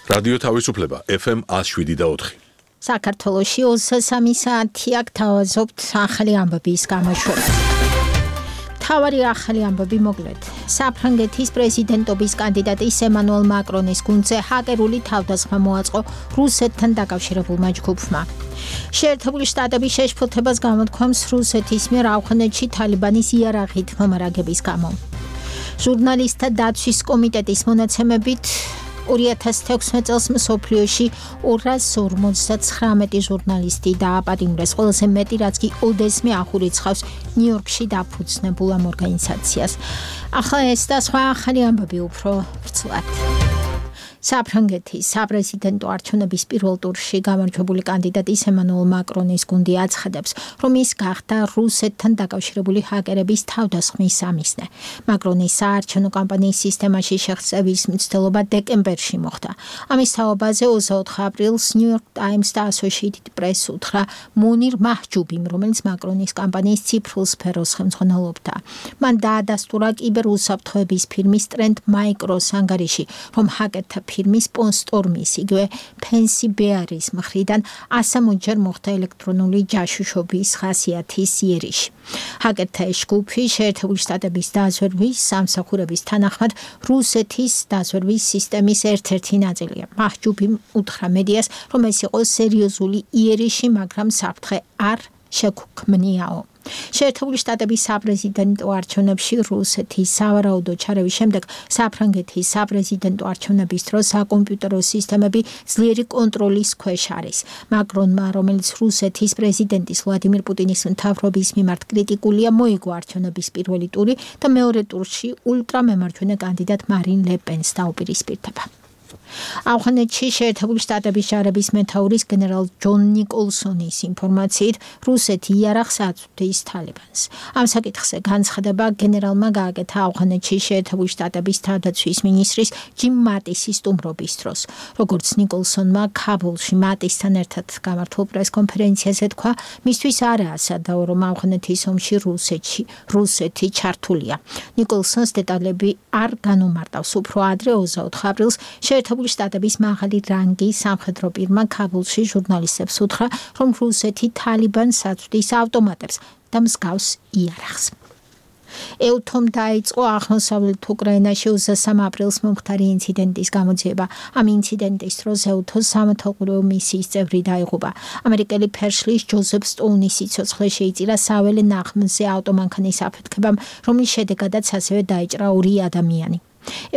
რადიო თავისუფლება FM 107.4. საქართველოში 23 საათი აქ თავაზობთ ახალი ამბების გამოშვებას. თავარი ახალი ამბები მოკლედ. საფრანგეთის პრეზიდენტობის კანდიდატის ემანუელ მაკრონის გუნდზე ჰაკერული თავდასხმა მოაწყო რუსეთთან დაკავშირებულმა ჯგუფმა. შეერთებული შტატების შეშფოთებას გამოთქვამს რუსეთის მიერ ავღანეთში თალიბანის იარაღით მომარაგების გამო. ჟურნალისტთა დაცვის კომიტეტის მონაცემებით 2016 წელს მსოფლიოში 259 ჟურნალისტი დააპატიმრეს, ყველაზე მეტი რაც კი ოდესმე ახურიცხავს ნიუ-იორკში დაფუძნებულ ამ ორგანიზაციას. ახლა ეს და სხვა ახალი ამბები უფრო ვრცლად. საფრანგეთის საპრეზიდენტო არჩევნების პირველ ტურში გამარჯვებული კანდიდატის ემანუელ მაკრონის გუნდი აცხადებს, რომ ის გახდა რუსეთთან დაკავშირებული ჰაკერების თავდასხმის სამიზნე. მაკრონის საარჩევნო კამპანიის სისტემაში შეღწევის მცდელობა დეკემბერში მოხდა. ამის თაობაზე 24 აპრილს New York Times და Associated Press უთხრა მონირ მაჰჯუბიმ, რომელიც მაკრონის კამპანიის ციფრულ სფეროს ხელმძღვანელობდა. მან დაადასტურა კიბერუსაფრთხოების ფირმის Trend Micros ანგარიში, რომ ჰაკერთა ფირმის სპონსორმის იგივე ფენსი ბეარის მხრიდან 160-ჯერ მოხდა ელექტრონული ჯაშუშობის ხასიათის იერიში. ჰაკერთა ეს ჯგუფი შეერთებული შტატების დაზვერვის სამსახურების თანახმად რუსეთის დაზვერვის სისტემის ერთ-ერთი ნაწილია. მაჰჯუბიმ უთხრა მედიას, რომ ეს იყო სერიოზული იერიში, მაგრამ საფრთხე არ შეგვქმნიაო. შეერთებული შტატების საპრეზიდენტო არჩევნებში რუსეთის სავარაუდო ჩარევის შემდეგ საფრანგეთის საპრეზიდენტო არჩევნების დროს საკომპიუტერო სისტემები ძლიერი კონტროლის ქვეშ არის. მაკრონმა, რომელიც რუსეთის პრეზიდენტის ვლადიმირ პუტინის მთავრობის მიმართ კრიტიკულია, მოიგო არჩევნების პირველი ტური და მეორე ტურში ულტრამემარჯვენე კანდიდატ მარინ ლე პენს დაუპირისპირდება. ავღანეთში შეერთებული შტატების ჯარების მეთაურის გენერალ ჯონ ნიკოლსონის ინფორმაციით რუსეთი იარაღს აწვდის თალიბანს. ამ საკითხზე განცხადება გენერალმა გააკეთა ავღანეთში შეერთებული შტატების თავდაცვის მინისტრის ჯიმ მატისის სტუმრობის დროს. როგორც ნიკოლსონმა ქაბულში მატისთან ერთად გამართულ პრესკონფერენციაზე თქვა, მისთვის არაა სადაო, რომ ავღანეთის ომში რუსეთი ჩართულია. ნიკოლსონს დეტალები არ განუმარტავს. უფრო ადრე 24 აპრილს შეერთებული შტატების მაღალი რანგის სამხედრო პირმა ქაბულში ჟურნალისტებს უთხრა, რომ რუსეთი თალიბანს აწვდის ავტომატებს და მსგავს იარაღს. ეუთომ დაიწყო აღმოსავლეთ უკრაინაში 23 აპრილს მომხდარი ინციდენტის გამოძიება. ამ ინციდენტის დროს ეუთოს სამეთვალყურეო მისიის წევრი დაიღუპა. ამერიკელი ფერშლის ჯოზეფ სტოუნის სიცოცხლე შეიწირა საველე ნაღმზე ავტომანქანის აფეთქებამ, რომლის შედეგადაც ასევე დაიჭრა 2 ადამიანი.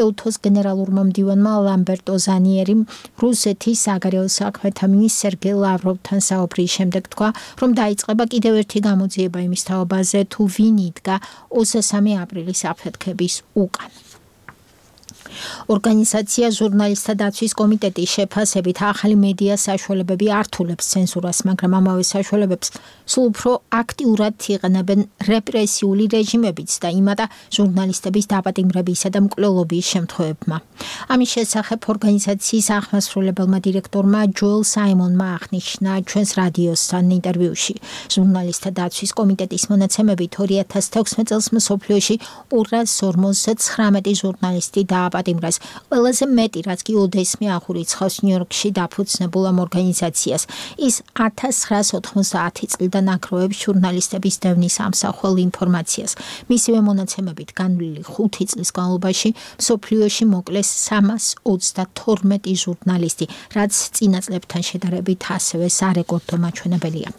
ეუთოს გენერალურმა მდივანმა ლამბერტო ზანიერიმ რუსეთის საგარეო საქმეთა მინისტრ სერგეი ლავროვთან საუბრის შემდეგ თქვა, რომ დაიწყება კიდევ ერთი გამოძიება იმის თაობაზე, თუ ვინ იდგა 23 აპრილის აფეთქების უკან. ორგანიზაცია ჟურნალისტთა დაცვის კომიტეტის შეფასებით ახალი მედია საშუალებები ართულებს ცენზურას, მაგრამ ამავე საშუალებებს სულ უფრო აქტიურად იყენებენ რეპრესიული რეჟიმებიც და იმატა ჟურნალისტების დაპატიმრებისა და მკვლელობის შემთხვევებმა. ამის შესახებ ორგანიზაციის აღმასრულებელმა დირექტორმა ჯოელ საიმონმა აღნიშნა ჩვენს რადიოსთან ინტერვიუში. ჟურნალისტთა დაცვის კომიტეტის მონაცემებით 2016 წელს მსოფლიოში 259 ჟურნალისტი დააპატიმრეს. ყველაზე მეტი რაც კი ოდესმე ახურიცხავს ნიუ-იორკში დაფუძნებულ ამ ორგანიზაციას. ის 1990 წლიდან აკროვებს ჟურნალისტების დევნის ამსახველ ინფორმაციას. მისივე მონაცემებით განვლილი 5 წლის განმავლობაში მსოფლიოში მოკლეს 332 ჟურნალისტი, რაც წინა წლებთან შედარებით ასევე სარეკორდო მაჩვენებელია.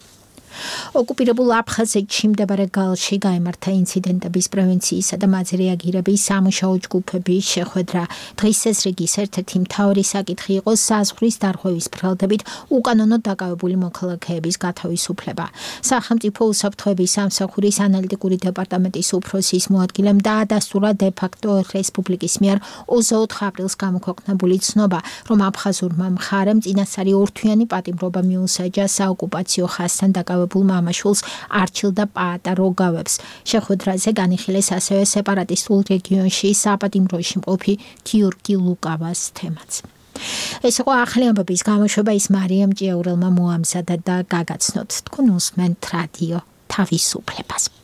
ოკუპირებულ აფხაზეთში მდებარე გალში გაიმართა ინციდენტების პრევენციისა და მათზე რეაგირების სამუშაო ჯგუფების შეხვედრა. დღის ეს რიგის ერთ-ერთი მთავარი საკითხი იყო საზღვრის დარღვევის ფრალდებით უკანონოდ დაკავებული მოქალაქეების გათავისუფლება. სახელმწიფო უსაფრთხოების სამსახურის ანალიტიკური დეპარტამენტის უფროსის მოადგილემ დაადასტურა დე-ფაქტო რესპუბლიკის მიერ 24 აპრილს გამოქვეყნებული ცნობა, რომ აფხაზურმა მხარემ წინასწარი ორთვიანი პატიმრობა მიუსაჯა საოკუპაციო ხაზთან დაკავებულ მამაშვილს არჩილდა პაატა როგავებს. შეხვედრაზე განიხილეს ასევე სეპარატისტულ რეგიონში საპატიმროში მყოფი გიორგი ლუკავას თემაც. ეს იყო ახალი ამბების გამოშვება, ის მარიამ ჭიაურელმა მოამზადა და გაგაცნოთ. თქვენ უსმენთ რადიო თავისუფლებას.